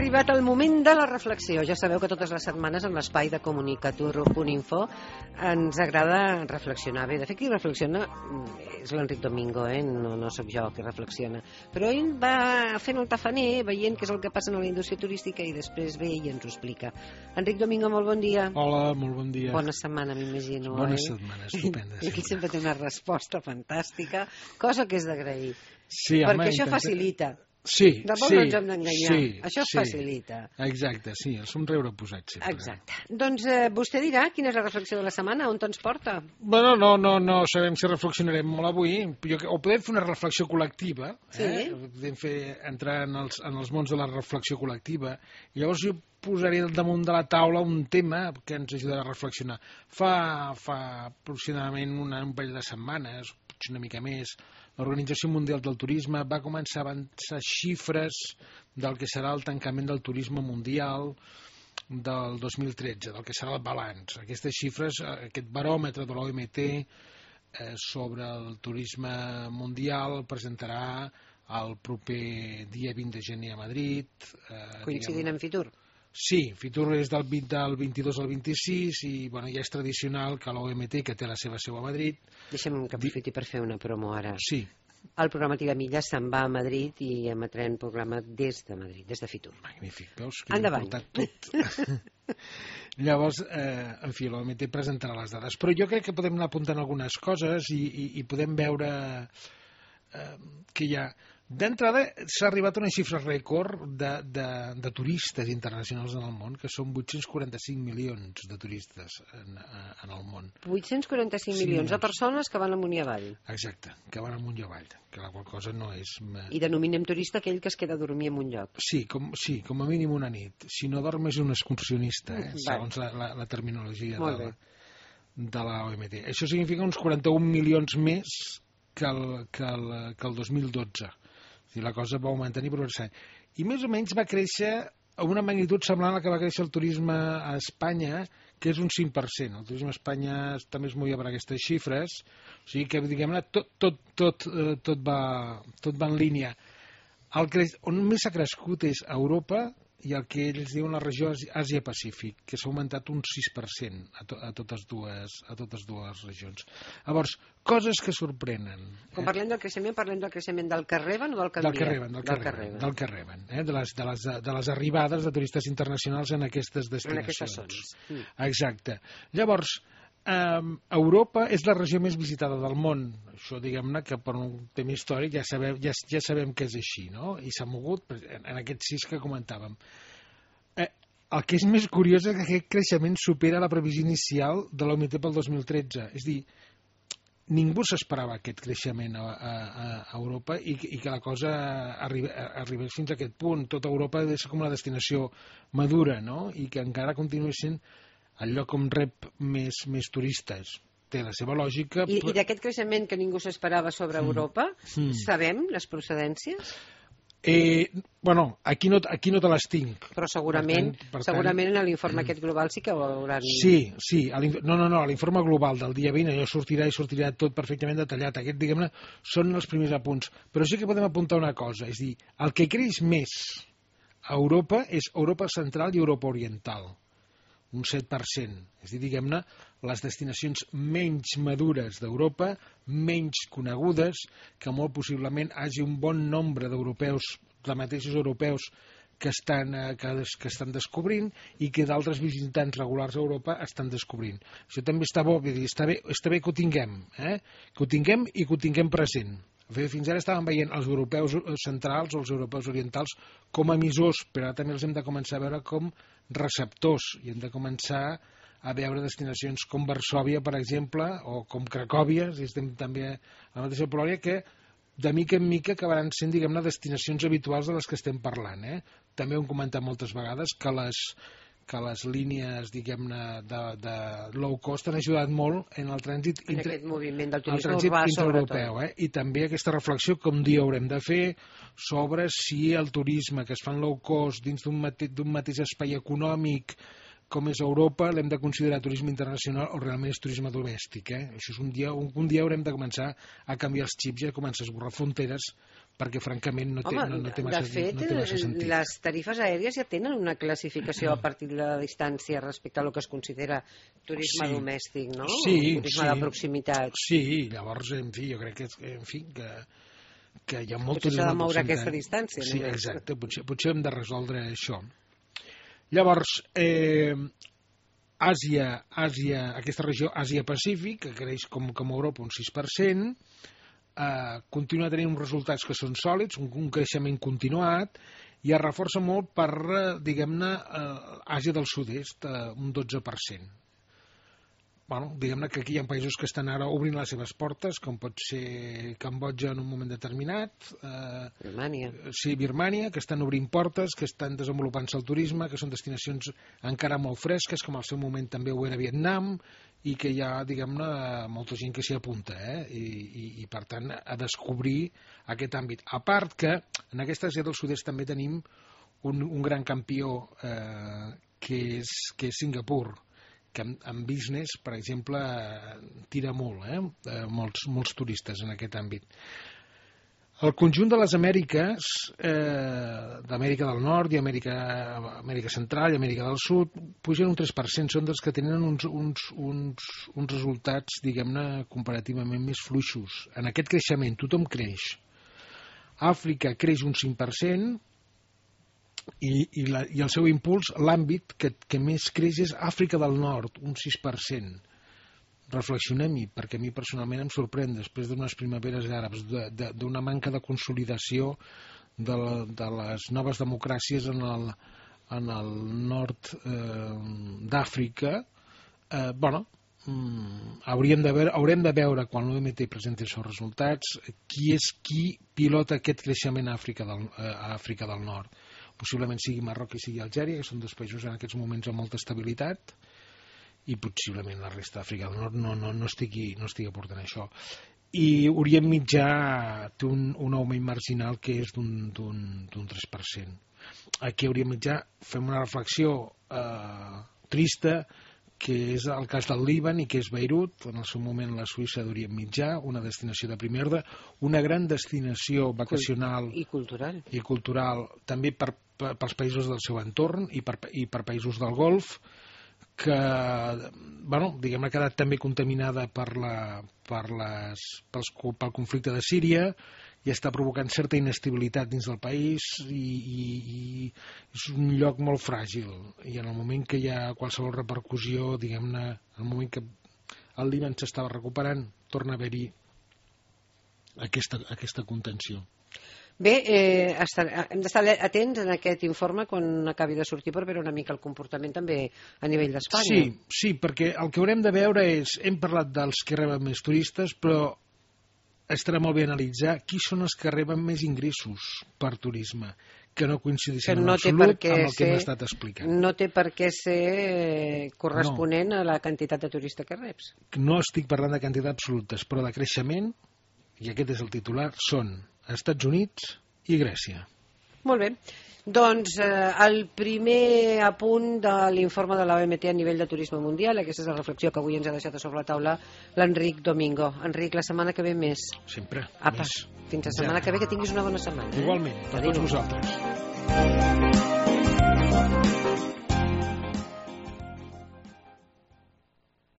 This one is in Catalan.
arribat el moment de la reflexió. Ja sabeu que totes les setmanes en l'espai de comunicatur.info ens agrada reflexionar. Bé, de fet, qui reflexiona és l'Enric Domingo, no sóc jo qui reflexiona. Però ell va fent el tafaner, veient què és el que passa en la indústria turística i després ve i ens ho explica. Enric Domingo, molt bon dia. Hola, molt bon dia. Bona setmana, m'imagino. Bona setmana, estupenda. I aquí sempre té una resposta fantàstica, cosa que és d'agrair. Sí, perquè això facilita. Sí, Tampoc no ens hem d'enganyar. Això sí. Facilita. Exacte, sí, el somriure posat sempre. Exacte. Doncs vostè dirà quina és la reflexió de la setmana, on ens porta? Bueno, no sabem si reflexionarem molt avui, o podem fer una reflexió col·lectiva, podem entrar en els mons de la reflexió col·lectiva, i llavors jo posaré damunt de la taula un tema que ens ajudarà a reflexionar. Fa aproximadament un parell de setmanes, potser una mica més, l'Organització Mundial del Turisme va començar a avançar xifres del que serà el tancament del turisme mundial del 2013, del que serà el balanç. Aquestes xifres, aquest baròmetre de l'OMT sobre el turisme mundial el presentarà el proper dia 20 de gener a Madrid. Coincidint amb Fitur? Sí, Fitur és del 22 al 26 i ja és tradicional que l'OMT, que té la seva seu a Madrid... Deixa'm que aprofiti per fer una promo ara. Sí. El programa Tiramilles se'n va a Madrid i emetrem programa des de Madrid, des de Fitur. Magnífic, veus? Que endavant. Tot. Llavors, en fi, l'OMT presentarà les dades. Però jo crec que podem anar apuntant algunes coses i podem veure que hi ha... D'entrada, s'ha arribat a una xifra rècord de turistes internacionals en el món, que són 845 milions de turistes en el món. 845 milions de persones que van amunt i avall. Exacte, que van amunt i avall, que la qual cosa no és... I denominem turista aquell que es queda a dormir en un lloc. Sí, com a mínim una nit. Si no dorm és un excursionista, segons la terminologia de la OMT. Això significa uns 41 milions més que el 2012. La cosa va augmentant i progressant. I més o menys va créixer a una magnitud semblant a la que va créixer el turisme a Espanya, que és un 5%. El turisme a Espanya també es movia per aquestes xifres, o sigui que, diguem-ne, tot va en línia. On més ha crescut és a Europa i el que ells diuen la regió Àsia-Pacífic, que s'ha augmentat un 6% a totes dues regions. Llavors, coses que sorprenen. Quan parlem del creixement del que reben o del que envien? Del que reben, de les arribades de turistes internacionals en aquestes destinacions. Exacte. Llavors, Europa és la regió més visitada del món. Això, diguem-ne, que per un tema històric ja sabem que és així, no? I s'ha mogut en aquests 6 que comentàvem. El que és més curiós és que aquest creixement supera la previsió inicial de l'OMT pel 2013. És a dir, ningú s'esperava aquest creixement a Europa i que la cosa arribés fins a aquest punt. Tota Europa és com una destinació madura, no? I que encara continua sent el lloc on rep més turistes. Té la seva lògica. I d'aquest creixement que ningú s'esperava sobre Europa, sabem les procedències? Aquí no te les tinc. Però segurament en l'informe aquest global sí que ho hauran... Sí, no, l'informe global del dia 20 allò sortirà tot perfectament detallat. Aquest, diguem-ne, són els primers apunts. Però sí que podem apuntar una cosa, és a dir, el que creix més a Europa és Europa Central i Europa Oriental. Un 7%. És a dir, diguem-ne, les destinacions menys madures d'Europa, menys conegudes, que molt possiblement hi hagi un bon nombre d'europeus, de mateixos europeus, que estan descobrint i que d'altres visitants regulars a Europa estan descobrint. Això també està bo, vull dir, està bé que ho tinguem, que ho tinguem i que ho tinguem present. Fins ara estàvem veient els europeus centrals o els europeus orientals com a emissors, però ara també els hem de començar a veure com receptors i hem de començar a veure destinacions com Varsòvia, per exemple, o com Cracòvia, si estem també a la mateixa Polònia, que de mica en mica acabaran sent, diguem-ne, destinacions habituals de les que estem parlant. També ho hem comentat moltes vegades que les línies, diguem-ne, de low cost han ajudat molt en el trànsit en aquest moviment del turisme urbà, intraeuropeu. I també aquesta reflexió que un dia haurem de fer sobre si el turisme que es fa en low cost dins d'un mateix espai econòmic com és Europa, l'hem de considerar turisme internacional o realment és turisme domèstic. Això és un dia haurem de començar a canviar els xips i a començar a esborrar fronteres perquè francament no té massa sentit. Les tarifes aèries ja tenen una classificació a partir de la distància respecte a lo que es considera turisme domèstic, no? Turisme de proximitat. Sí, llavors, en fi, jo crec que hi ha molt turisme de proximitat. Potser s'ha de moure aquesta distància. Sí, exacte, potser hem de resoldre això. Llavors, Àsia, aquesta regió Àsia-Pacífic, que creix com Europa un 6%, continua tenint uns resultats que són sòlids, un creixement continuat, i es reforça molt per, diguem-ne, Àsia del Sud-est, un 12%. Bueno, diguem-ne que aquí hi ha països que estan ara obrint les seves portes, com pot ser Cambodja en un moment determinat. Birmània. Sí, Birmània, que estan obrint portes, que estan desenvolupant-se el turisme, que són destinacions encara molt fresques, com al seu moment també ho era Vietnam, i que hi ha, diguem-ne, molta gent que s'hi apunta, i per tant a descobrir aquest àmbit. A part que en aquesta Àsia del Sud-est també tenim un gran campió que és Singapur, que en business, per exemple, tira molt, molts turistes en aquest àmbit. El conjunt de les Amèriques, d'Amèrica del Nord i Amèrica Central i Amèrica del Sud, pugen un 3%, són dels que tenen uns resultats, diguem-ne, comparativament més fluixos. En aquest creixement tothom creix. Àfrica creix un 5%, i el seu impuls, l'àmbit que més creix és Àfrica del Nord, un 6%. Reflexionem-hi, perquè a mi personalment em sorprèn, després d'unes primaveres àrabs, d'una manca de consolidació de les noves democràcies en el nord d'Àfrica. Haurem de veure, quan l'OMT presenti els seus resultats, qui pilota aquest creixement a Àfrica del Nord. Possiblement sigui Marroc i sigui Algèria, que són dos països en aquests moments amb molta estabilitat, i possiblement la resta d'Àfrica del Nord no estigui aportant això. I Orient Mitjà té un augment marginal que és d'un 3%. Aquí a Orient Mitjà fem una reflexió trista, que és el cas del Líban i que és Beirut, en el seu moment la Suïssa d'Orient Mitjà, una destinació de primer ordre, una gran destinació vacacional i cultural també pels països del seu entorn i per països del Golf, que diguem-ne ha quedat també contaminada pel conflicte de Síria i està provocant certa inestabilitat dins del país, i és un lloc molt fràgil, i en el moment que hi ha qualsevol repercussió, diguem-ne, en el moment que el Líban s'estava recuperant, torna a haver-hi aquesta contenció. Bé, hem d'estar atents en aquest informe quan acabi de sortir per veure una mica el comportament també a nivell d'Espanya. Sí, perquè el que haurem de veure és, hem parlat dels que reben més turistes, però estarà molt bé analitzar qui són els que reben més ingressos per turisme, que no coincideixen en absolut amb el que hem estat explicant. No té per què ser corresponent a la quantitat de turista que reps. No estic parlant de quantitat absolutes, però de creixement, i aquest és el titular, són Estats Units i Grècia. Molt bé. Doncs el primer apunt de l'informe de l'OMT a nivell de turisme mundial, aquesta és la reflexió que avui ens ha deixat a sobre la taula l'Enric Domingo. Enric, la setmana que ve més. Sempre. Apa, fins la setmana que ve, que tinguis una bona setmana. Igualment, per tots vosaltres.